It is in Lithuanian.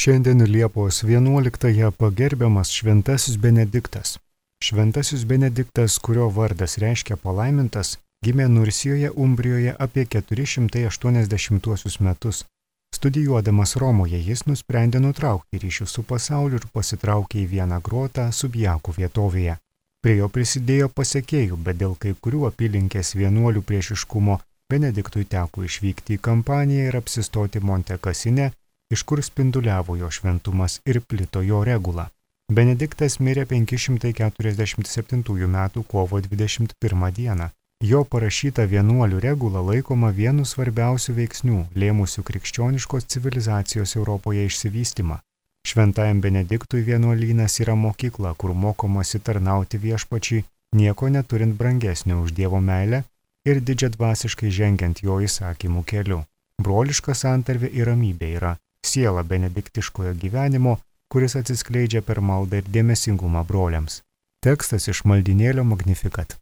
Šiandien Liepos 11-ąją pagerbiamas Šventasis Benediktas. Šventasis Benediktas, kurio vardas reiškia palaimintas, gimė Nursijoje, Umbrijoje apie 480 metus. Studijuodamas Romoje jis nusprendė nutraukti ryšius su pasauliu ir pasitraukė į vieną grotą Subjakų vietovėje. Prie jo prisidėjo pasekėjų, bet dėl kai kurių apylinkės vienuolių priešiškumo Benediktui teko išvykti į Kampaniją ir apsistoti Monte Cassine, iš kur spinduliavo jo šventumas ir plito jo regula. Benediktas mirė 547 metų kovo 21 dieną. Jo parašyta vienuolių regula laikoma vienu svarbiausių veiksnių, lėmusių krikščioniškos civilizacijos Europoje išsivystymą. Šventajam Benediktui vienuolynas yra mokykla, kur mokomasi tarnauti viešpačiui, nieko neturint brangesnio už Dievo meilę ir didžiadvasiškai žengiant jo įsakymų keliu. Broliška santarvė ir ramybė yra siela benediktiškojo gyvenimo, kuris atsiskleidžia per maldą ir dėmesingumą broliams. Tekstas iš maldynėlio Magnificat.